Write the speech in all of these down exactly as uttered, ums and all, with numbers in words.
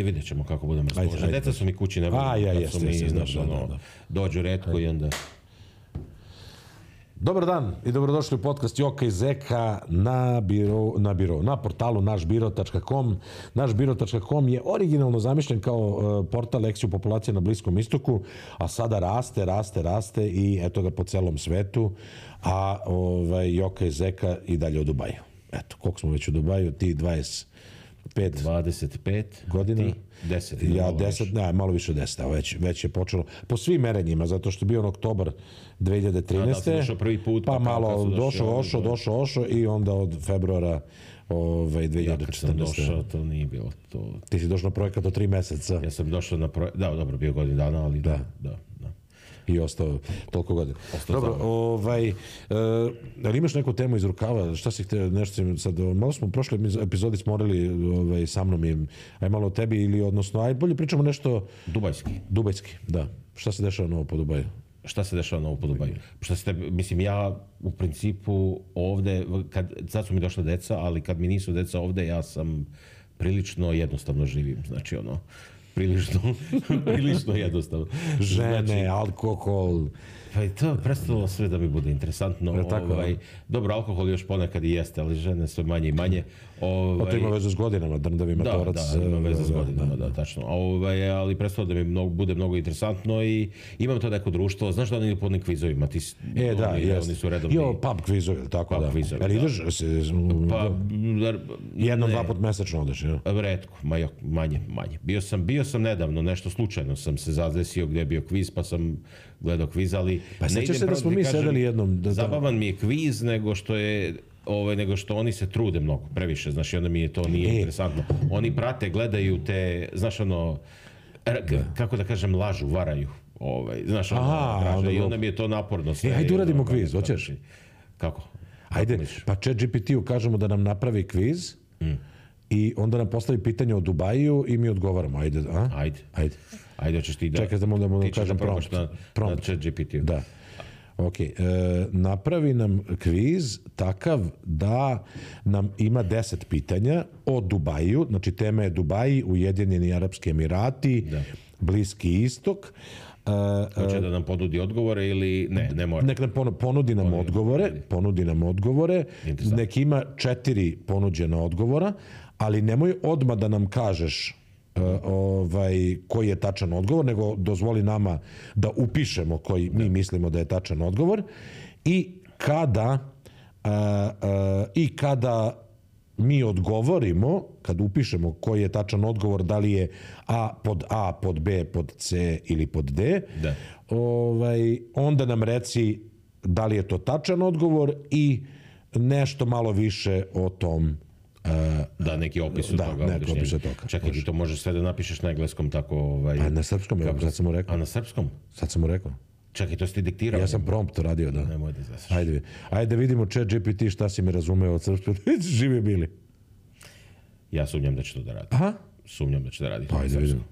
Vidjet ćemo kako budemo raspoloženi. Deca su mi kući, ne volim. Dođu retko i onda... Dobar dan i dobrodošli u podcast Joka i Zeka na biro, na biro, na portalu našbiro tačka com. našbiro tačka com je originalno zamišljen kao portal lekciju populacije na Bliskom istoku, a sada raste, raste, raste i eto ga po celom svetu, a ovaj, Joka i Zeka i dalje u Dubaju. Eto, koliko smo već u Dubaju, ti dvadeset pet dvadeset pet godina, ti deset, ja deset, ne, malo više od deset, već, već je počelo, po svim merenjima, zato što je bio on oktobar dve hiljade trinaeste. A, da, došao prvi put, pa, pa malo došao, ošao, došao, ošao i onda od februara ovaj, dve hiljade četrnaeste. Ja kad sam došao, to nije bilo to. Ti si došao na projekat od tri meseca. Ja sam došao na projekat, da, dobro, bio godin dana, ali da, da, da. I ostao toliko godina. Dobro, ovaj, e, ali imaš neku temu iz rukava? Šta si htio, nešto si sad, malo smo u prošloj epizodi smo morali ovaj, sa mnom i aj malo o tebi ili odnosno, aj bolje pričamo nešto... Dubajski. Dubajski, da. Šta se dešava novo po Dubaju? Šta se dešava novo po Dubaju? Šta ste, mislim, ja u principu ovde, kad, sad su mi došla deca, ali kad mi nisu deca ovde, ja sam prilično jednostavno živim, znači ono... prilično, prilično jednostavno. Žene, znači, alkohol. Pa i to prestalo sve da mi bude interesantno. Ovaj, dobro, alkohol još ponekad i jeste, ali žene sve manje i manje. Ovaj, pa to ima veze s godinama, drndavi matorac. Da, da, ima veze s godinama, da, da tačno. Ovaj, ali prestalo da mi mnogo, bude mnogo interesantno i imam to neko društvo. Znaš da oni idu podnim kvizovima? Ti, e, da, oni, jeste. Oni su redovni. Jo, pub kvizovi, tako pub da. Kvizovi, ali da. ideš, pa, jedno, dva put mesečno odeš, ja? Retko, manje, manje. Bio sam, bio sam nedavno, nešto slučajno sam se zadesio gdje je bio kviz, pa sam gledao kviz, ali... Pa sećaš se da smo mi sedeli jednom... Da, zabavan mi je kviz, nego što je... Ovaj, nego što oni se trude mnogo, previše, znaš, i onda mi je to nije e. interesantno. Oni prate, gledaju te, znaš, ono, kako da kažem, lažu, varaju, ovaj, znaš, ono, aha, draže, onda i onda mi je to naporno sve. E, hajde uradimo kviz, hoćeš? Kako? Ajde, pa ChatGPT-u kažemo da nam napravi kviz, mm. i onda nam postavi pitanje o Dubaju i mi odgovaramo, ajde, a? Ajde. Ajde. Ajde, hoćeš ti da... Čekaj, da mu da mu kažem prompt. Na, prompt. na ChatGPT-u. Da. Ok, e, napravi nam kviz takav da nam ima deset pitanja o Dubaju, znači tema je Dubaji, Ujedinjeni Arapski Emirati, da. Bliski istok. Hoće uh, da nam ponudi odgovore ili ne, ne mora? Nek nam ponudi nam ponudi. odgovore, ponudi nam odgovore, nek ima četiri ponuđena odgovora, ali nemoj odmah da nam kažeš uh, ovaj, koji je tačan odgovor, nego dozvoli nama da upišemo koji mi mislimo da je tačan odgovor i kada uh, uh, i kada mi odgovorimo, kad upišemo koji je tačan odgovor, da li je A pod A, pod B, pod C ili pod D, da. Ovaj, onda nam reci da li je to tačan odgovor i nešto malo više o tom. Uh, da, neki opis od da, toga. Neki opis od toga. Čekaj, ti to možeš sve da napišeš na engleskom tako... Ovaj, pa na srpskom, kako, sad sam mu rekao. A na srpskom? Sad sam mu rekao. Čekaj, to si ti diktirao? Ja sam prompt radio, da. Nemoj da zasaš. Ajde, ajde vidimo ChatGPT šta si mi razumeo od srpskog. Živi bili. Ja sumnjam da će to da radi. Aha. Sumnjam da će da radi. Pa ajde vidimo.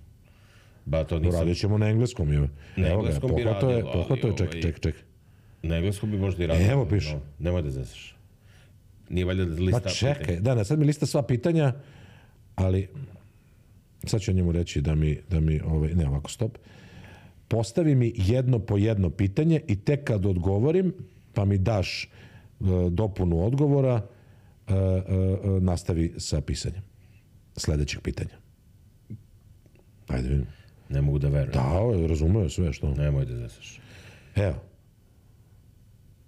Ba, to nisam... Radit ćemo na engleskom. Je. Na engleskom bi radio, je, pohvato je, ček, ček, ček. Na engleskom bi možda i radio. Evo piše. No, nemoj da zasaš. Nije valjda da lista... Pa čekaj, pitanja. Da, ne, sad mi lista sva pitanja, ali sad ću njemu reći da mi, da mi ovaj, ne, ovako, stop. Postavi mi jedno po jedno pitanje i tek kad odgovorim, pa mi daš uh, dopunu odgovora, uh, uh, nastavi sa pisanjem sledećeg pitanja. Ajde vidim. Ne mogu da verujem. Da, razumeo sve što. Nemoj da zasaš. Evo.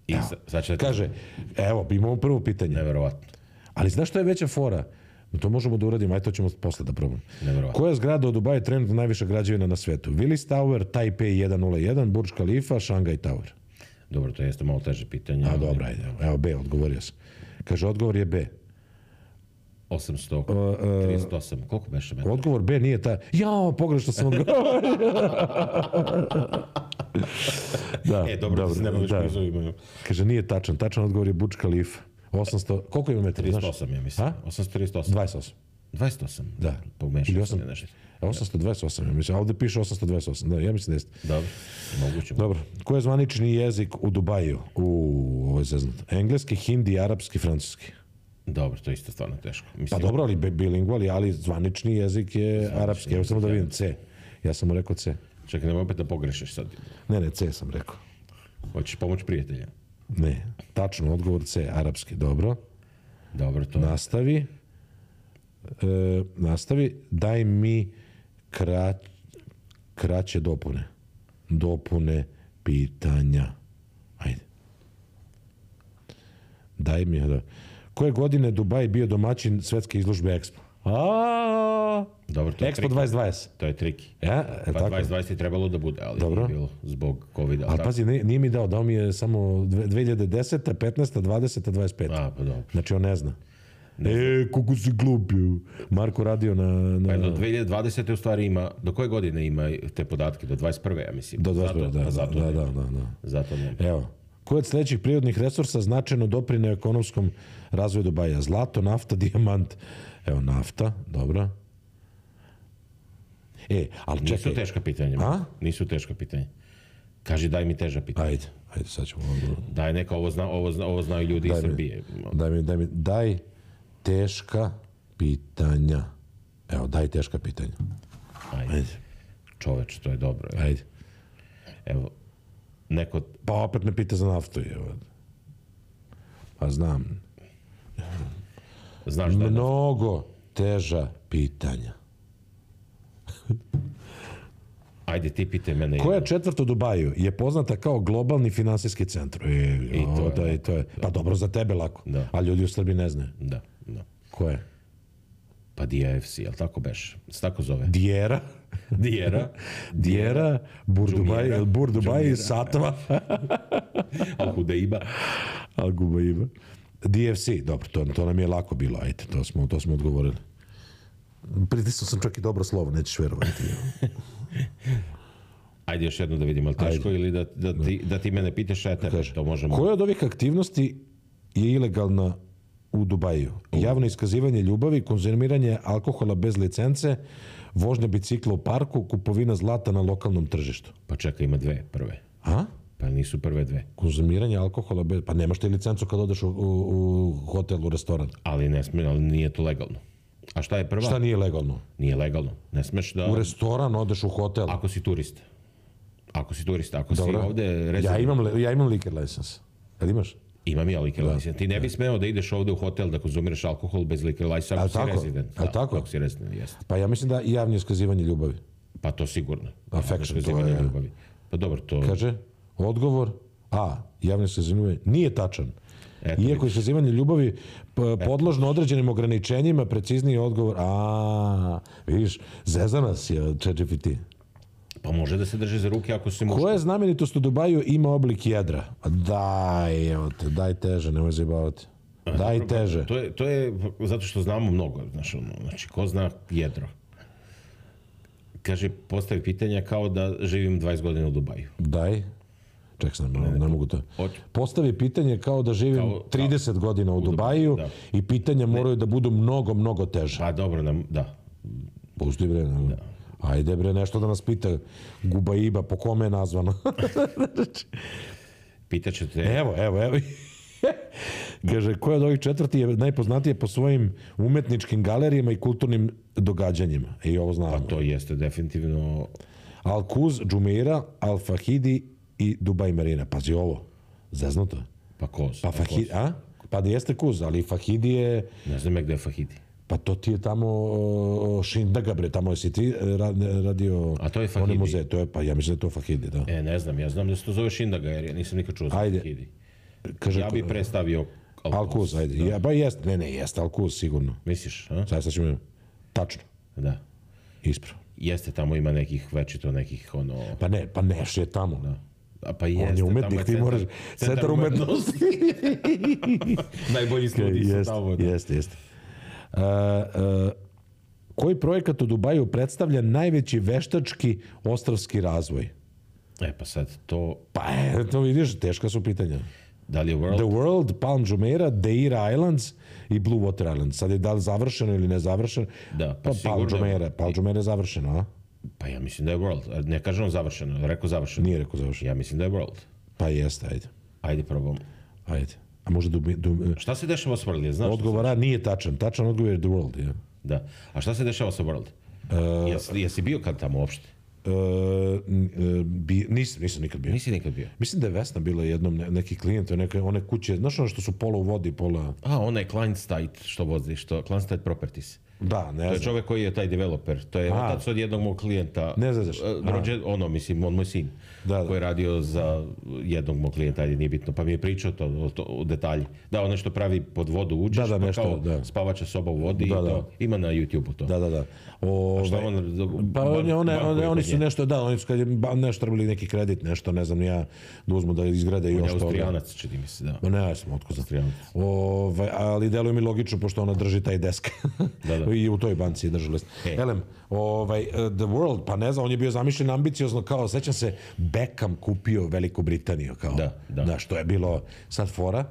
I evo. Sad će da... Kaže, evo, imamo prvo pitanje. Neverovatno. Ali znaš što je veća fora? To možemo da uradimo, aj to ćemo posle da probamo. Neverovatno. Koja zgrada u Dubaju trenutno najviša građevina na svetu? Willis Tower, Taipei jedan nula jedan, Burj Khalifa, Shanghai Tower. Dobro, to jeste malo teže pitanje. A, dobro, ajde. Evo, B, odgovorio sam. Kaže, odgovor je B. osamsto trideset osam. Koliko beše metara? Odgovor B nije ta... Jao, pogrešno sam odgovorio. da, e, dobro, da se nema već blizu imaju. Kaže, nije tačan. Tačan odgovor je Burj Khalifa. osamsto... Koliko ima metara? trideset osam, ja mislim. osamsto trideset osam. dvadeset osam. dvadeset osam? Da. Pomešao sam je nešto. osamsto dvadeset osam, ja mislim. A ovde piše osamsto dvadeset osam. Da, ja mislim da jeste. Dobro, moguće. Dobro. Ko je zvanični jezik u Dubaju? U, ovo je zeznut. Engleski, hindi, arapski, francuski. Dobro, to je isto stvarno teško. Mislim, pa dobro, ali bilingvali, ali zvanični jezik je zvanični arapski. Evo samo da vidim C. Ja sam mu rekao C. Čekaj, nemoj opet da pogrešiš sad. Ne, ne, C sam rekao. Hoćeš pomoć prijatelja? Ne, tačno, odgovor C, arapski, dobro. Dobro, to Nastavi. E, nastavi. Daj mi kra, kraće dopune. Dopune pitanja. Ajde. Daj mi... Da. Koje godine Dubaj bio domaćin svetske izložbe Expo? A, dobro, to je Expo dvadeset dvadeset. To je triki. Ja, pa dvadeset dvadeset je trebalo da bude, ali dobro. Nije bilo zbog covida. Ali pazi, nije, nije mi dao, dao mi je samo dve hiljade deseta, petnaesta, dvadeseta, dvadeset peta. A, pa dobro. Znači on ne zna. Ne e, kako si glupio. Marko radio na... na... Pa do dve hiljade dvadesete u stvari ima, do koje godine ima te podatke? Do dvadeset prve ja mislim. Do dvadeset prve, da, zato da, ne, da, da, da. Zato ne. Evo. Koji od sljedećih prirodnih resursa značajno doprineo ekonomskom razvoju Dubaja? Zlato, nafta, dijamant. Evo, nafta, dobro. E, ali čekaj. Nisu teška pitanja. A? Nisu teška pitanja. Kaži, daj mi teža pitanja. Ajde, ajde, sad ćemo... Daj neka, ovo, zna, ovo, zna, ovo znaju ljudi daj iz mi, Srbije. Daj mi, daj mi, daj teška pitanja. Evo, daj teška pitanja. Ajde. Ajde. Čoveč, to je dobro. Evo. Ajde. Evo, neko... Pa opet me pita za naftu. Evo. Pa znam. Znaš da... Mnogo teža pitanja. Ajde, ti pitaj mene. Koja četvrt u Dubaju je poznata kao globalni finansijski centar? E, I to je, da, i to je. Pa dobro, za tebe lako. Da. A ljudi u Srbiji ne znaju. Da, da. Ko je? Pa D I F C, jel tako beš? Se tako zove? Dijera. Dijera. Dijera, Burdubaj, Burdubaj, Satva. Al-Hudaiba. Al-Hudaiba. D F C, dobro, to, to nam je lako bilo, ajde, to smo, to smo odgovorili. Pritisnuo sam čak i dobro slovo, nećeš verovati. Ajde još jedno da vidimo, ali teško ajde. Ili da, da, ti, da ti mene pitaš, a tebe, to možemo... Koja od ovih aktivnosti je ilegalna u Dubaju? Javno iskazivanje ljubavi, konzumiranje alkohola bez licence, vožnja bicikla u parku, kupovina zlata na lokalnom tržištu. Pa čekaj, ima dve prve. A? Pa nisu prve dve. Konzumiranje alkohola bez... Pa nemaš ti licencu kad odeš u, u, u hotel, u restoran. Ali ne smije, ali nije to legalno. A šta je prva? Šta nije legalno? Nije legalno. Ne smeš da... U restoran odeš u hotel. Ako si turista. Ako si turista, ako dobro. Si ovde... Rezerv... Ja imam, ja imam liquor license. Jel imaš? Imam ja liquor da. License. Ti ne bi smeo da ideš ovde u hotel da konzumiraš alkohol bez liquor license ako si tako? rezident. Da, tako? Ako si rezident, jeste. Pa ja mislim da i javno iskazivanje ljubavi. Pa to sigurno. Affection, to je... Ljubavi. Pa dobro, to... Kaže, odgovor A, javno iskazivanje ljubavi, nije tačan. Eto, Iako iskazivanje ljubavi podložno određenim ograničenjima, precizniji odgovor, a, vidiš, zeza nas je Chat G P T. Pa može da se drži za ruke ako si muško. Koja znamenitost u Dubaju ima oblik jedra? Daj, evo te, daj teže, nemoj zajebavati. Daj dobro, teže. To je, to je zato što znamo mnogo. Znači, znači, ko zna jedro? Kaže, postavi pitanja kao da živim dvadeset godina u Dubaju. Daj. Ček sam, ne, ne, ne mogu to. Postavi pitanje kao da živim kao, trideset kao, godina u, u Dubaju da. I pitanja ne. Moraju da budu mnogo, mnogo teže. Pa dobro, nam, da. Pusti bre, ne. Da. Ajde bre, nešto da nas pita Gubaiba, po kome je nazvano. Pitaće te... Evo, evo, evo. Kaže, koja od ovih četvrti je najpoznatije po svojim umetničkim galerijama i kulturnim događanjima? I ovo znamo. Pa to jeste definitivno... Al-Quoz, Jumeirah, Al-Fahidi i Dubai Marina. Pazi ovo, zeznuto. Pa Koz. Pa Fahidi, a? Pa da jeste Quoz, ali Fahidi je... Ne znam gde je Fahidi. Pa to ti je tamo Šindaga, bre, tamo si ti radio... A to je Fahidi? Muze, to je, pa ja mislim da je to Fahidi, da. E, ne znam, ja znam da se to zove Šindaga, jer ja nisam nikad čuo za Fahidi. Kaže, ja bih predstavio Al-Quoz, ajde. Da. Ja, pa jeste, ne, ne, jeste Al-Quoz, sigurno. Misliš, a? Sad sad ćemo... Tačno. Da. Ispravo. Jeste, tamo ima nekih, večito nekih, ono... Pa ne, pa Neš je tamo. Da. A pa jeste, on je umetnik, ti moraš... Centar umetnosti. Najbolji studij su tamo. Jeste, jeste. Uh, uh, koji projekat u Dubaju predstavlja najveći veštački ostrvski razvoj? E, pa sad to... Pa e, to vidiš, teška su pitanja. Da li je World? The World, Palm Jumeirah, Deira Islands i Blue Water Islands. Sad je da li završeno ili ne završeno? Da, pa, pa sigurno... Palm Jumeirah, Palm Jumeirah je završeno, a? Pa ja mislim da je World. Ne kažem završeno, rekao završeno. Nije rekao završeno. Ja mislim da je World. Pa jeste, ajde. Ajde, probam. Ajde. A možda du, du, Šta se dešava sa World? Znaš odgovora nije tačan. Tačan odgovor je The World. Ja. Da. A šta se dešava sa World? Uh, jesi, jesi bio kad tamo uopšte? Uh, bi, nisam, nisam nikad bio. Nisi nikad bio? Mislim da je Vesna bila jednom ne, neki klijent, neke, one kuće, znaš ono što su pola u vodi, pola... A, onaj Kleinsteit što vozi, što Kleinsteit Properties. Da, ne znam. To je čovjek koji je taj developer. To je otac od jednog mog klijenta. Ne znaš. Rođen, ono, mislim, on moj sin. Da, da. Koji je radio za jednog mog klijenta, ajde, nije bitno. Pa mi je pričao to, o, to, o detalji. Da, on nešto pravi pod vodu, uđeš, da, da, pa nešto, kao da. spavača soba u vodi da, i to. Da. Ima na YouTube-u to. Da, da, da. O, šta on, pa ban, one, one, one, oni su nje. nešto, da, oni su kad je nešto trebali neki kredit, nešto, ne znam, ja da uzmu da izgrade još to. On je Austrijanac, čini mi se, da. Ma ne, ja sam otko za Austrijanac. Ovaj, ali deluje mi logično, pošto ona drži taj desk. Da, da. I u toj banci je držala. Hey. Elem, ovaj, The World, pa ne znam, on je bio zamišljen ambiciozno, kao, sećam se, Beckham kupio Veliku Britaniju, kao, da, da. da, što je bilo sad fora,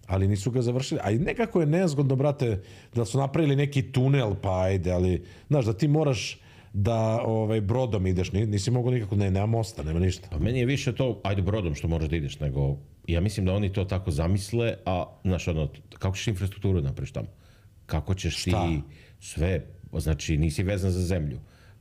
ali nisu ga završili. A i nekako je nezgodno, brate, da su napravili neki tunel, pa ajde, ali, znaš, da ti moraš da ovaj, brodom ideš, nisi mogu nikako, ne, nema mosta, nema ništa. Pa meni je više to, ajde brodom što moraš da ideš, nego, ja mislim da oni to tako zamisle, a, znaš, ono, kako ćeš infrastrukturu napraviš tamo? Kako ćeš Šta? ti sve, znači nisi vezan za zemlju.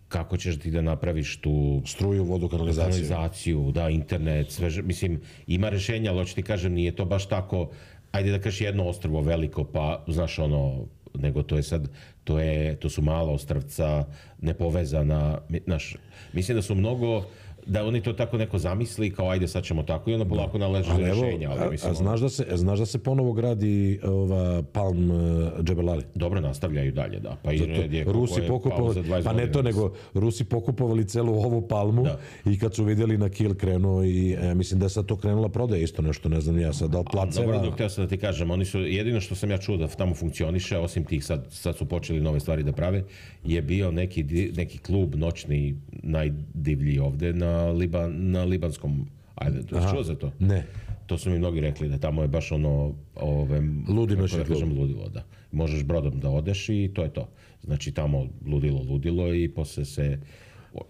Kako ćeš ti da napraviš tu struju, vodu, kanalizaciju, kanalizaciju da, internet, sve, mislim, ima rešenja, ali hoću ti kažem, nije to baš tako, ajde da kažeš jedno ostrvo veliko, pa, znaš, ono, nego to je sad, to, je, to su mala ostrvca, nepovezana, znaš, mislim da su mnogo, da oni to tako neko zamisli, kao ajde sad ćemo tako i onda polako naleže za rješenja. Ali, mislim, a, a znaš, da se, znaš da se ponovo gradi ova Palm uh, Jebel Ali? Dobro, nastavljaju dalje, da. Pa Zato, i Rusi pokupovali, pa ne to, nego Rusi pokupovali celu ovu palmu da. I kad su vidjeli na kil krenuo i e, mislim da je sad to krenula prodaja isto nešto, ne znam ja sad, da li placeva... Dobro, dok htio sam da ti kažem, oni su, jedino što sam ja čuo da tamo funkcioniše, osim tih sad, sad su počeli nove stvari da prave, je bio neki, neki klub noćni, najdivlji ovde na Liban, na Libanskom islandu. Jesi čuo za to? Ne. To su mi mnogi rekli da tamo je baš ono ove, ludi noćni da kažem, ludilo, da. Možeš brodom da odeš i to je to. Znači tamo ludilo, ludilo i posle se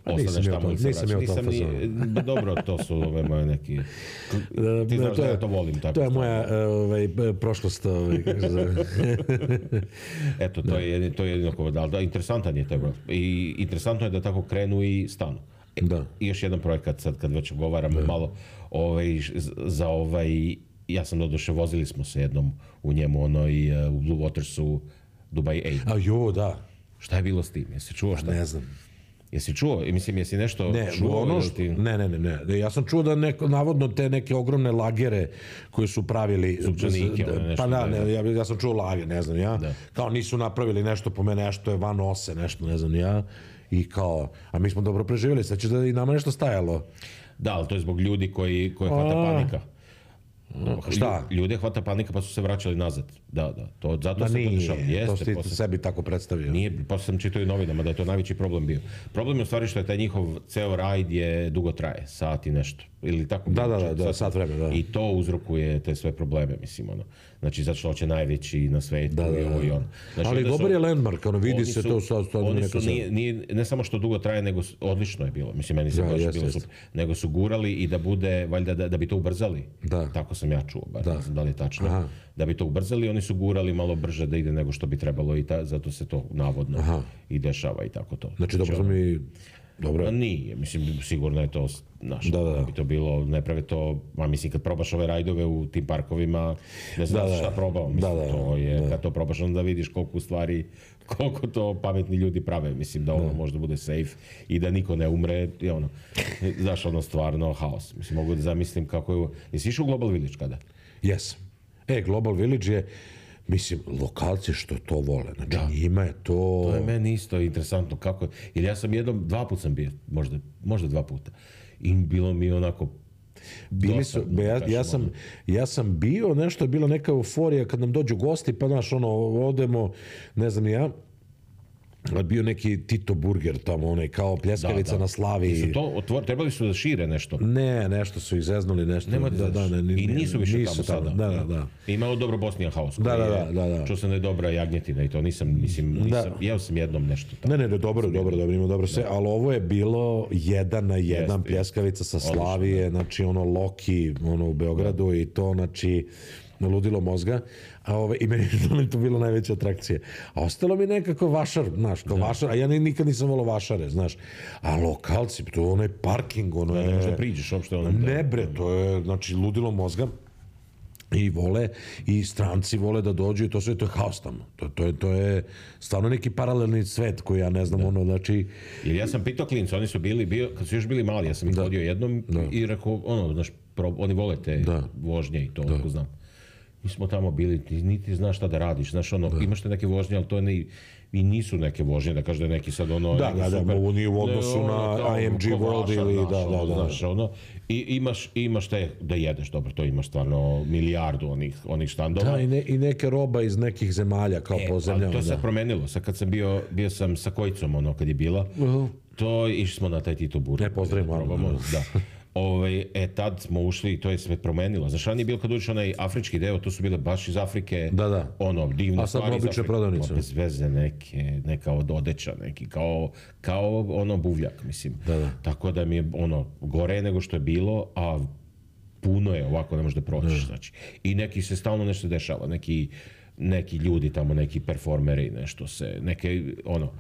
ostaneš tamo ili se vraćaš. Nisam ni, dobro, to su ove moje neki... Ti znaš da ja to volim. Tako to je moja ovaj, prošlost. Ovaj, Eto, to je, to je jedino ko da, da, interesantan je taj brod. I interesantno je da tako krenu i stanu. Da. I još jedan projekat, sad kad već govaramo da. malo ovaj, za ovaj, ja sam doduše, vozili smo se jednom u njemu, ono i uh, u Blue Watersu, Dubai osam. A jo, da. Šta je bilo s tim? Jesi čuo šta? Ne znam. Jesi čuo? I mislim, jesi nešto ne, čuo? Ono što, ti... Ne, ne, ne, ne. Ja sam čuo da neko, navodno te neke ogromne lagere koje su pravili... Supčanike, da, nešto. Pa da, ne, ja, ja sam čuo lager, ne znam ja. Da. Kao nisu napravili nešto po mene, nešto je van ose, nešto, ne znam ja. I kao, a mi smo dobro preživjeli, sad će da i nama nešto stajalo. Da, ali to je zbog ljudi koji, koji hvata a... panika. Šta? Ljude hvata panika pa su se vraćali nazad. Da, da. To, zato da se nije, to dešava. Jeste, to si posle... sebi tako predstavio. Nije, posle sam čitao i novinama da je to najveći problem bio. Problem je u stvari što je taj njihov ceo rajd je dugo traje, sat i nešto. Ili tako. Da, da, da, da, sat vremena, da. I to uzrokuje te sve probleme, mislim, ono. Znači, zato što hoće najveći na svetu da, da, i ovo i ono. Znači, ali dobar je landmark, ono, vidi se su, to sad. Oni su, nije, nije, ne samo što dugo traje, nego odlično je bilo. Mislim, meni se da, baš jest, bilo jest. super. Nego su gurali i da bude, valjda, da, da bi to ubrzali. Da. Tako sam ja čuo, bar da. ne znam da li je tačno. Aha. Da bi to ubrzali, oni su gurali malo brže da ide nego što bi trebalo i ta, zato se to navodno Aha. i dešava i tako to. Znači, dobro smo mi... Dobro. Nije, mislim, sigurno je to naš, da, da, da. bi to bilo, ne prave to, a mislim, kad probaš ove rajdove u tim parkovima, ne znaš da, šta da. probao, mislim, da, da, to je, da. kad to probaš, onda vidiš koliko u stvari, koliko to pametni ljudi prave, mislim, da ono da. možda bude safe i da niko ne umre, i ono, znaš, ono, stvarno, haos. Mislim, mogu da zamislim kako je, jesi išao u Global Village kada? Jes. E, Global Village je, mislim, lokalci što to vole, znači da. Njima je to... To je meni isto interesantno, kako, jer ja sam jednom, dva put sam bio, možda, možda dva puta, i bilo mi onako... Bili su, be, ja, ja, sam, ja sam bio, nešto je bila neka euforija kad nam dođu gosti, pa znaš, ono, odemo, ne znam ja, bio neki Tito Burger tamo, onaj kao pljeskavica da, da. na Slavi. Su to otvor, trebali su da šire nešto? Ne, nešto su izeznuli, nešto. Nema da, da, ne, ne, I nisu više nisu tamo sada. Da, da, da. Imao dobro Bosnian House. Da, da, da, da, da. Čuo sam da je dobra jagnjetina i to, nisam, mislim, nisam, da. jeo sam jednom nešto tamo. Ne, ne, ne, dobro, dobro, dobro, ima dobro sve, ali ovo je bilo jedan na jedan jest, pljeskavica sa Slavije, znači ono Loki, ono u Beogradu da. I to, znači... ludilo mozga, a ove, i meni je to bilo najveća atrakcija. A ostalo mi nekako vašar, znaš, kao vašar, a ja nikad nisam volao vašare, znaš. A lokalci, to je onaj parking, ono je... Ne možda priđeš uopšte ono... Ne bre, to je, znači, ludilo mozga. I vole, i stranci vole da dođu i to sve, to je haos tamo. To, to, je, to je stvarno neki paralelni svet koji ja ne znam, da. ono, znači... Jer ja sam pitao klinca, oni su bili, bio, kad su još bili mali, ja sam ih vodio jednom da. i rekao, ono, znaš, pro, oni vole te da. vožnje i to, da. znam. Mi smo tamo bili, ti niti znaš šta da radiš, znaš, ono, da. imaš te neke vožnje, ali to je ne... I nisu neke vožnje, da kaže da je neki sad ono... Da, da, da, ovo nije u odnosu ne, ono, na I M G World ili... Naš, da, da, da, znaš, ono, i imaš, imaš te da jedeš, dobro, to imaš stvarno milijardu onih, onih štandova. Da, i, ne, i neke roba iz nekih zemalja, kao e, po zemljama. To se promenilo, sad kad sam bio, bio sam sa Kojicom, ono, kad je bila, uh-huh. to išli smo na taj Tito Burger. Ne, pozdravimo. Da, da. Ove, e, tad smo ušli i to je sve promenilo. Znaš, ranije je bilo kad uđeš onaj afrički deo, to su bile baš iz Afrike, da, da. ono, divne stvari iz Afrike. Prodavnice. Bez veze neke, neka od odeća, neki, kao, kao ono buvljak, mislim. Da, da. Tako da mi je, ono, gore nego što je bilo, a puno je ovako, ne možeš da prođeš, znači. I neki se stalno nešto dešava, neki, neki ljudi tamo, neki performeri, nešto se, neke, ono,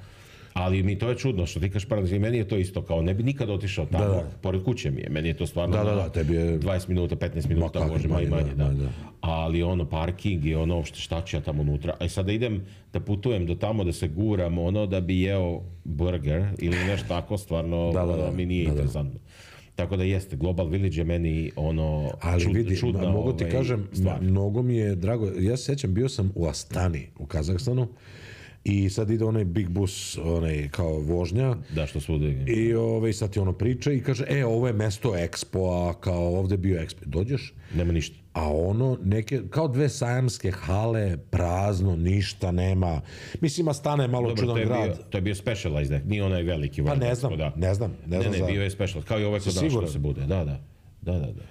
ali mi to je čudno što ti kažeš paradoksalno, meni je to isto kao ne bi nikad otišao tamo, da, da. pored kuće mi je, meni je to stvarno da, da, da, tebi je... dvadeset minuta, petnaest minuta, može manje, manje, da. da. Ali ono, parking i ono, šta ću ja tamo unutra, a sad da idem, da putujem do tamo, da se guram, ono, da bi jeo burger ili nešto tako, stvarno da, da, da. mi nije da, interesantno. Da. Tako da jeste, Global Village je meni ono ali čud, vidi, čudna mogu ovaj, ti kažem, stvar. Mnogo mi je drago, ja se sjećam, bio sam u Astani, u Kazahstanu, i sad ide onaj big bus, onaj kao vožnja. Da, što svude. I ovaj, sad ti ono priča i kaže, e, ovo je mesto Expo-a, kao ovde je bio Expo. Dođeš? Nema ništa. A ono, neke, kao dve sajamske hale, prazno, ništa nema. Mislim, Astana je malo Dobro, čudan to je grad. Bio, to je bio Specialized, nije onaj veliki. Pa ne znam, da. ne znam. Ne, ne, znam ne, za... bio je Specialized, kao i ovaj kod nas što se bude. Da, da, da, da. da.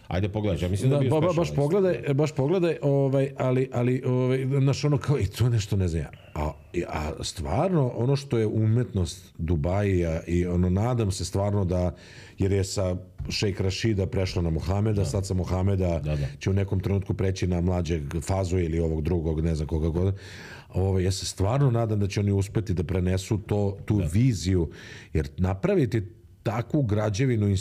Ajde pogledaj, ja mislim da, da bio ba, Specialized. Baš pogledaj, baš pogledaj, ovaj, ali, ali ovaj, naš ono kao, i to nešto ne znam ja. A, a stvarno, ono što je umetnost Dubaija i ono, nadam se stvarno da, jer je sa šejk Rašida prešla na Mohameda, da. sad sa Mohameda da, da. će u nekom trenutku preći na mlađeg Fazu ili ovog drugog, ne znam koga god. Ove, ja se stvarno nadam da će oni uspeti da prenesu to, tu da. viziju, jer napraviti takvu građevinu,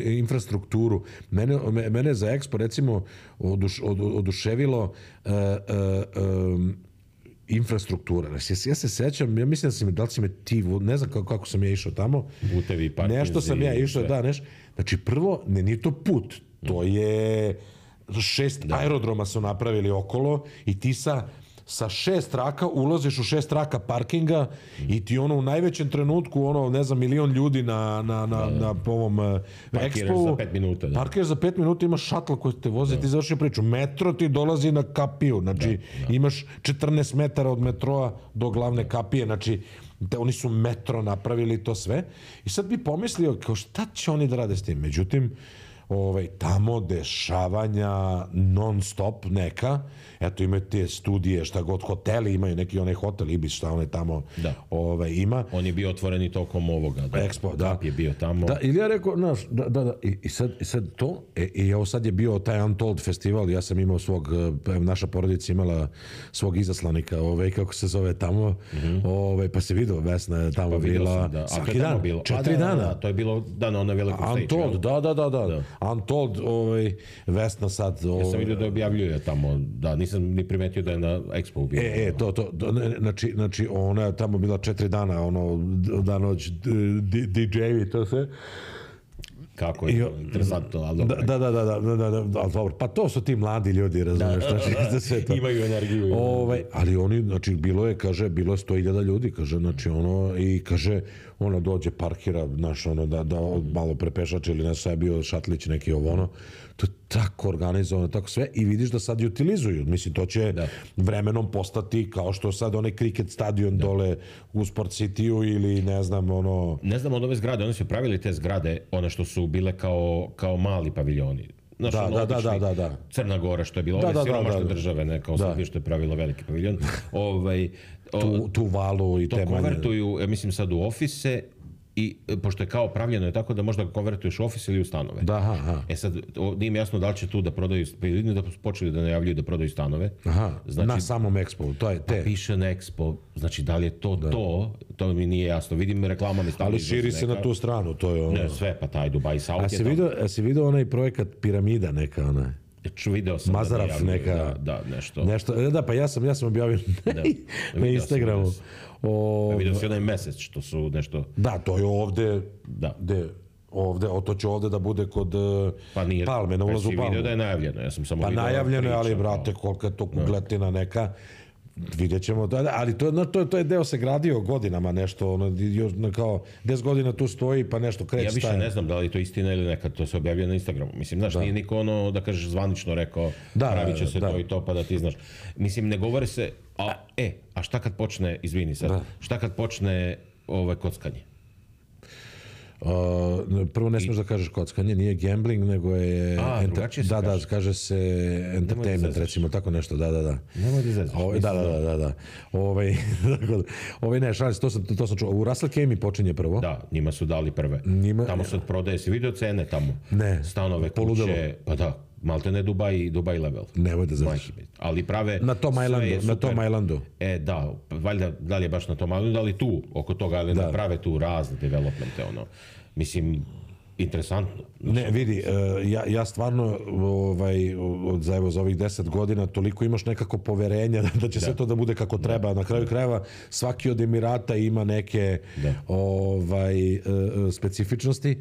infrastrukturu. Mene, mene za Expo, recimo, oduš, od, oduševilo uh, uh, um, infrastruktura. Ja, ja se sećam, ja mislim da si me, da li si me ti, ne znam kako, kako sam ja išao tamo. Putevi, parkinzi. Nešto sam ja išao, da, nešto. Znači, prvo, ne, nije to put. To je šest da. aerodroma su napravili okolo i ti sa sa šest traka ulaziš u šest traka parkinga mm. i ti ono u najvećem trenutku ono ne znam milion ljudi na na na da, da. na ovom uh, Expo za pet minuta. Da. Parkiraš za pet minuta, imaš šatl koji te vozi, da. ti završi priču. Metro ti dolazi na kapiju, znači da, da. imaš četrnaest metara od metroa do glavne kapije, znači da oni su metro napravili to sve. I sad bi pomislio kao šta će oni da rade s tim. Međutim, ovaj, tamo dešavanja non stop neka, eto imaju te studije, šta god, hoteli imaju, neki onaj hotel Ibis, šta onaj tamo da. ovaj, ima. On je bio otvoren i tokom ovoga. Da. Expo, da. Kap je bio tamo. Da, ili ja rekao, znaš, da, da, da, i, i, sad, i sad to, e, i evo sad je bio taj Untold festival, ja sam imao svog, naša porodica imala svog izaslanika, ovaj, kako se zove tamo, mm-hmm. ovaj, pa se vidio, Vesna je tamo pa bila, sam, da. svaki dan, bilo? četiri A, da, dana. Da, da, to je bilo dan na onoj velikoj stage. Untold, da, da, da, da. da. Untold, ovaj, Vesna sad... Ovaj, ja sam vidio da objavljuje tamo, da, nisam ni primetio da je na Expo bio. E, e, to, to, to znači, znači, ona je tamo bila četiri dana, ono, dan noć, D J-vi, to sve. Kako je to interesantno, ali dobro. Da, da, da, da, da, da, da, ali dobro, pa to su ti mladi ljudi, razumiješ, da, znači, za sve to. Imaju energiju. Ovaj, ali oni, znači, bilo je, kaže, bilo je sto hiljada ljudi, kaže, znači, ono, i kaže, ono dođe, parkira, znaš, ono, da, da malo prepešače ili nešto, je bio šatlić neki ovo, ono, to je tako organizovano, tako sve, i vidiš da sad i utilizuju, mislim, to će da. vremenom postati kao što sad onaj kriket stadion da. dole u Sport City-u ili ne znam, ono... Ne znam od ove zgrade, oni su pravili te zgrade, one što su bile kao, kao mali paviljoni. Znaš, da, ono, da, da, da, da, da. Crna Gora što je bilo, da, ove da, siromašne da, da. države, ne, kao Srbije što je pravila veliki paviljon. ovaj, tu, tu valu i to te konvertuju, ja mislim sad u ofise i pošto je kao pravljeno je tako da možda ga konvertuješ u office ili u stanove. Da, aha, aha. E sad, o, nije mi jasno da li će tu da prodaju, vidim da su počeli da najavljuju da prodaju stanove. Aha, znači, na samom Expo, to je te. Pa piše na Expo, znači da li je to da. to, to mi nije jasno. Vidim reklamama stavljaju. Ali širi se neka... na tu stranu, to je ono. Ne, sve, pa taj Dubai South a je tamo. Vidio, a si vidio onaj projekat Piramida neka, onaj? Video sam Mazaraf da neka, da, da, nešto. nešto. Da, pa ja sam, ja sam objavio da. na Instagramu. O, vidio si onaj mesec što su nešto... Da, to je ovde, da. De, ovde, o, to će ovde da bude kod pa nije, Palme, na ulazu u Palmu. Vidio da je najavljeno, ja sam samo pa vidio... Pa najavljeno je, ali brate, kolika je to kugletina neka. Vidjet ćemo, da, ali to, no, to, to je deo se gradio godinama nešto, ono, još, kao deset godina tu stoji pa nešto kreće. Ja više staje. ne znam da li je to istina ili nekad, to se objavlja na Instagramu. Mislim, znaš, da. nije niko ono, da kažeš, zvanično rekao, da, pravit će se da. to i to, pa da ti znaš. Mislim, ne govore se, a, e, a šta kad počne, izvini sad, da. šta kad počne ovaj, kockanje? Uh, prvo ne smiješ da kažeš kockanje, nije gambling, nego je... A, enter... Da, kaže. da, kaže se entertainment, da recimo, tako nešto, da, da, da. Nemoj da zezaš. Ove, da, da, da, da, da. Ovaj, ovaj ne, šalim se, to sam, to sam čuo. U Russell Kemi počinje prvo. Da, njima su dali prve. Njima... Tamo se prodaje, si vidio cene tamo? Ne. Stanove, poludelo. Kuće, pa da. Malte ne Dubai, Dubai level. Nemoj da znaš. Ali prave... Na tom islandu, na tom islandu. E, da, valjda, da li je baš na tom islandu, ali tu, oko toga, ali da. da prave tu razne developmente, ono. Mislim, interesantno. Ne, vidi, ja, ja stvarno ovaj, za, evo, za ovih deset godina toliko imaš nekako poverenja da će da. sve to da bude kako treba. Da. Na kraju krajeva svaki od Emirata ima neke da. ovaj, specifičnosti.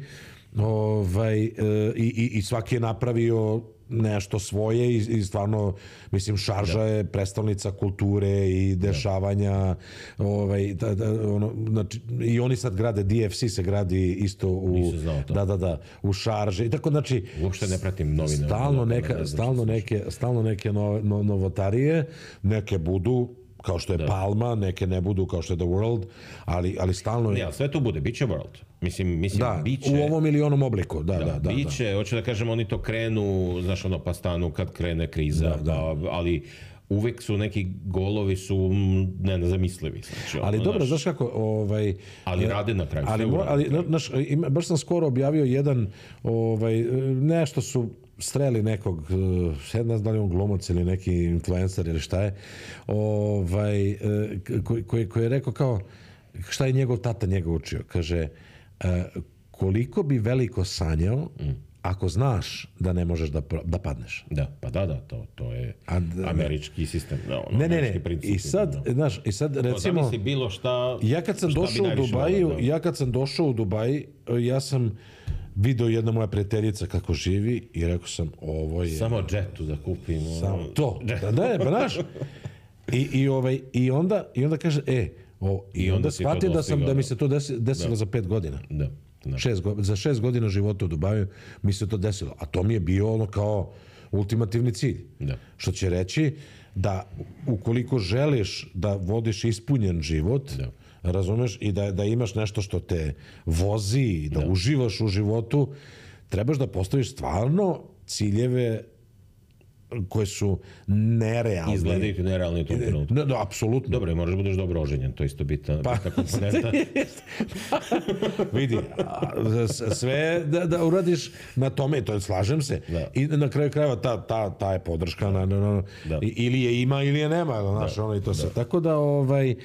Ovaj, i, i, i svaki je napravio nešto svoje i, i stvarno, mislim, Šarža je prestolnica kulture i dešavanja, ovaj, da, da, ono, znači, i oni sad grade, D F C se gradi isto u, da, da, da, u Šarži, i tako, znači, uopšte ne pratim novine, stalno, neka, ne stalno, neke, stalno neke no, no, novotarije, neke budu kao što je da. Palma, neke ne budu kao što je The World, ali, ali stalno... Ne, ali sve tu bude, bit će World. Mislim, mislim, da, biće... u ovom ili onom obliku, da, da, da. da biće, da. hoću da kažem, oni to krenu, znaš, ono, pa stanu kad krene kriza, da, da. Pa, ali uvek su neki golovi su ne, nezamislivi. Znači, ali ono, dobro, naš, znaš kako... Ovaj, ali rade na kraju. Ali, mo, ali naš, baš sam skoro objavio jedan, ovaj, nešto su streli nekog, ne znam da li on glumac ili neki influencer ili šta je, ovaj, koji, koji, koji je rekao kao, šta je njegov tata njega učio? Kaže, koliko bi veliko sanjao mm. ako znaš da ne možeš da, da padneš. Da, pa da, da, to, to je A, da, američki sistem. Da, ono, ne, ne, ne, princip, i sad, no. znaš, i sad recimo... Zamisli bilo šta... Ja kad sam došao u Dubaju, da. ja kad sam došao u Dubaj, ja sam video jedna moja prijateljica kako živi i rekao sam, ovo je... Samo džetu da kupim. Samo to, da, da, pa znaš. I, i, ovaj, i, onda, I onda kaže, e, o, i, I onda, onda shvatim da, sam, da mi se to desi, desilo da. za pet godina. Da. Da. Šest, za šest godina života u Dubaju mi se to desilo. A to mi je bio ono kao ultimativni cilj. Da. Što će reći da ukoliko želiš da vodiš ispunjen život, da. razumeš, i da, da imaš nešto što te vozi, da, da uživaš u životu, trebaš da postaviš stvarno ciljeve koje su nerealne. Izgledaju ti nerealni u tom trenutku. No, no, apsolutno. Dobro, moraš da budeš dobro oženjen, to je isto bitna, pa, bitna komponenta. Vidi, sve da, da uradiš na tome, to slažem se. Da. I na kraju krajeva ta, ta, ta je podrška, na, na, na, da. ili je ima ili je nema, znaš, da. ono i to se. Da. Tako da, ovaj, uh,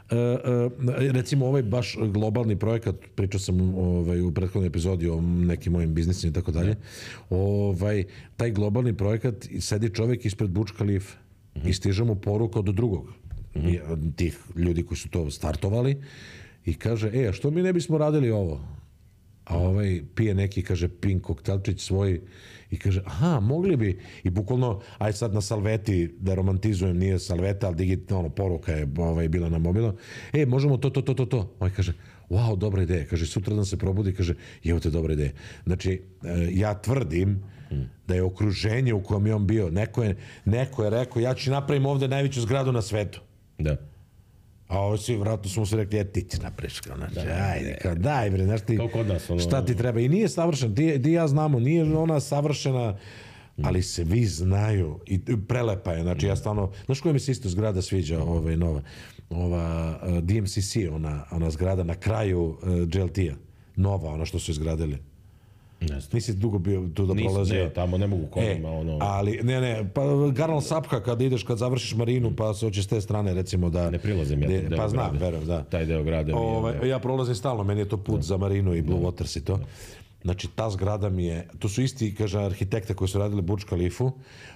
uh, recimo ovaj baš globalni projekat, pričao sam ovaj, u prethodnoj epizodi o nekim mojim biznisima i tako dalje, ovaj, taj globalni projekat, sedi čovjek ispred Burj Khalife mm-hmm. i stiže mu poruka od drugog mm-hmm. tih ljudi koji su to startovali i kaže, e, a što mi ne bismo radili ovo? A ovaj pije neki, kaže, pink koktelčić svoj i kaže, aha, mogli bi, i bukvalno, aj sad na salveti, da romantizujem, nije salveta, ali digitalno poruka je ovaj, bila na mobilno, e, možemo to, to, to, to, to. Ovaj kaže, wow, dobra ideja, kaže, sutra dan se probudi, kaže, evo te dobra ideja. Znači, ja tvrdim da je okruženje u kojem je on bio, neko je, neko je rekao, ja ću napravim ovde najveću zgradu na svetu. Da. A ovo svi, vratno smo se rekli, je, ti će napraviš, kao, znači, da, ajde, kao, daj, bre, znaš ti, nas, ono, šta ti treba. I nije savršen, ti, ti ja znamo, nije ona savršena, ali se vi znaju i prelepa je, znači, ja stvarno, znaš koja mi se isto zgrada sviđa, ovaj, nova? ova uh, D M C C, ona, ona zgrada na kraju uh, G L T-a. Nova, ona što su izgradili. Ne znam. Nisi dugo bio tu da Nisam, prolazio. ne, tamo ne mogu kolima, E, ono... ali, ne, ne, pa Garnal Sapka kad ideš, kad završiš marinu, pa se hoćeš s te strane, recimo da... Ne prilazim ja de, tom deo Pa znam, grada. verujem, da. Taj deo grada mi je... Ove, ja prolazim stalno, meni je to put za marinu i Blue Waters i to. Znači, ta zgrada mi je, to su isti, kaže, arhitekte koji su radili Burj Khalifu.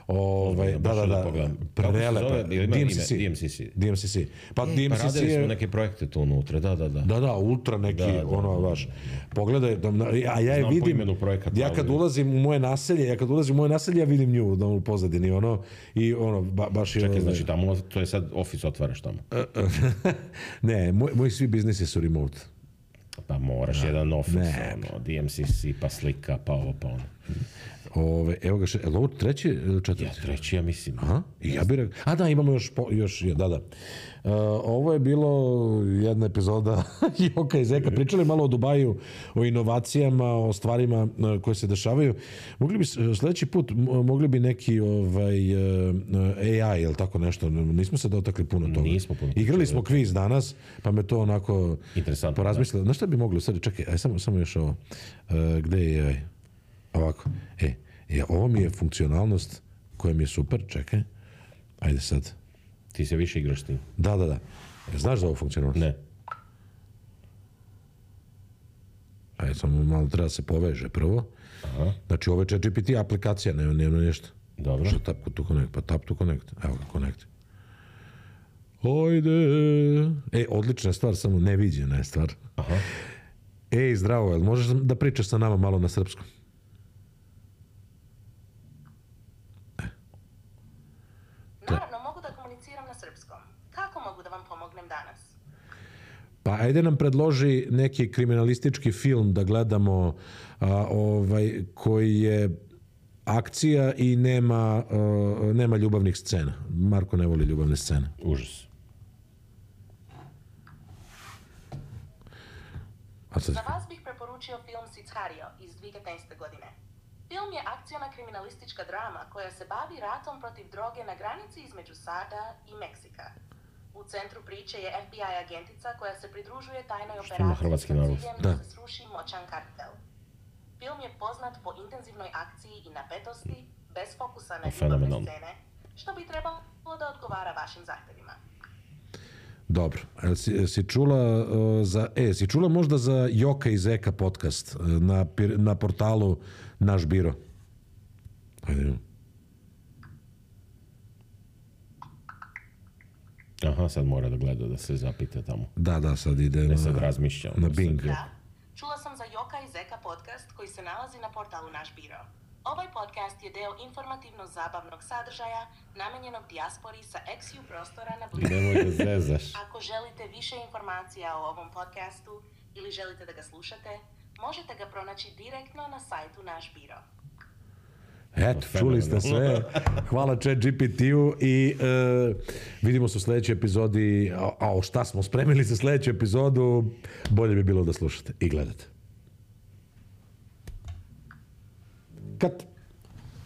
Ovaj, da, da, da, prelepa. D M C C. D M C C. D M C C. Pa D M C C Pa radili smo je... neke projekte tu unutra, da, da, da. Da, da, ultra neki, Da, da, ono, da, baš. Pogledaj, da, a ja je Znam po vidim, imenu projekata, ja kad ali- ulazim u moje naselje, ja kad ulazim u moje naselje, ja vidim nju da, u pozadini, ono, i ono, ba, baš je... Čekaj, znači tamo, to je sad office otvaraš tamo. ne, moj, moji svi biznisi su remote. Pa moraš jedan office, ne. ono, D M C C, pa slika, pa ovo, pa ono. Ove, evo ga, še, je li ovo treći ili četvrti? Ja, treći, ja mislim. Aha, i ja bih rekao, a da, imamo još, po, još da, da. Uh, ovo je bilo jedna epizoda Joka i Zeka, pričali malo o Dubaju, o inovacijama, o stvarima uh, koje se dešavaju. Mogli bi, sljedeći put, m- mogli bi neki ovaj, uh, A I ili tako nešto, nismo se dotakli puno toga. Nismo puno Igrali smo kviz danas, pa me to onako Interesantno, porazmislilo. Znaš šta bi mogli, sad čekaj, aj, samo, samo još ovo, uh, gde je A I? Ovako, e, e, ovo mi je funkcionalnost koja mi je super, čekaj, ajde sad. Ti se više igraš s tim? Da, da, da. E, znaš za ovu funkcionalnost? Ne. Ajde, samo malo treba da se poveže prvo. Aha. Znači, ovo je ChatGPT aplikacija, nema, nema nešto. Dobro. Što tap to connect? Pa tap to connect. Evo ga, connect. Ajde. E, odlična stvar, samo neviđena je stvar. Aha. Ej, zdravo, jel možeš da pričaš sa nama malo na srpskom? Naravno, mogu da komuniciram na srpskom. Kako mogu da vam pomognem danas? Pa ajde nam predloži neki kriminalistički film da gledamo a, ovaj, koji je akcija i nema, a, nema ljubavnih scena. Marko ne voli ljubavne scene. Užas. A sad, Za vas bih preporučio film Sicario iz dvije tisuće petnaeste. godine. Film je akciona kriminalistička drama koja se bavi ratom protiv droge na granici između SAD-a i Meksika. U centru priče je F B I agentica koja se pridružuje tajnoj ima operaciji hrvatski sa naslov? ciljem Da. da se sruši moćan kartel. Film je poznat po intenzivnoj akciji i napetosti, bez fokusa na ljubavne Fenomenalno. scene, što bi trebalo da odgovara vašim zahtjevima. dobro. Jel si, si čula uh, za, e, si čula možda za Joka i Zeka podcast uh, na, pir- na portalu Naš biro? Ajde, idemo. Aha, sad mora da gleda, da se zapita tamo. Da, da, sad ide Ne na, sad razmišlja. ono na sad. Bing. Da, čula sam za Joka i Zeka podcast koji se nalazi na portalu Naš biro. Ovaj podcast je deo informativno-zabavnog sadržaja namenjenog dijaspori sa ex ju prostora na Blizu. Nemoj da zezaš. Ako želite više informacija o ovom podcastu ili želite da ga slušate, možete ga pronaći direktno na sajtu Naš biro. Eto, čuli ste sve. Hvala ChatGPT-u i e, vidimo se u sljedećoj epizodi. A, a šta smo spremili za sljedeću epizodu, bolje bi bilo da slušate i gledate. Kat.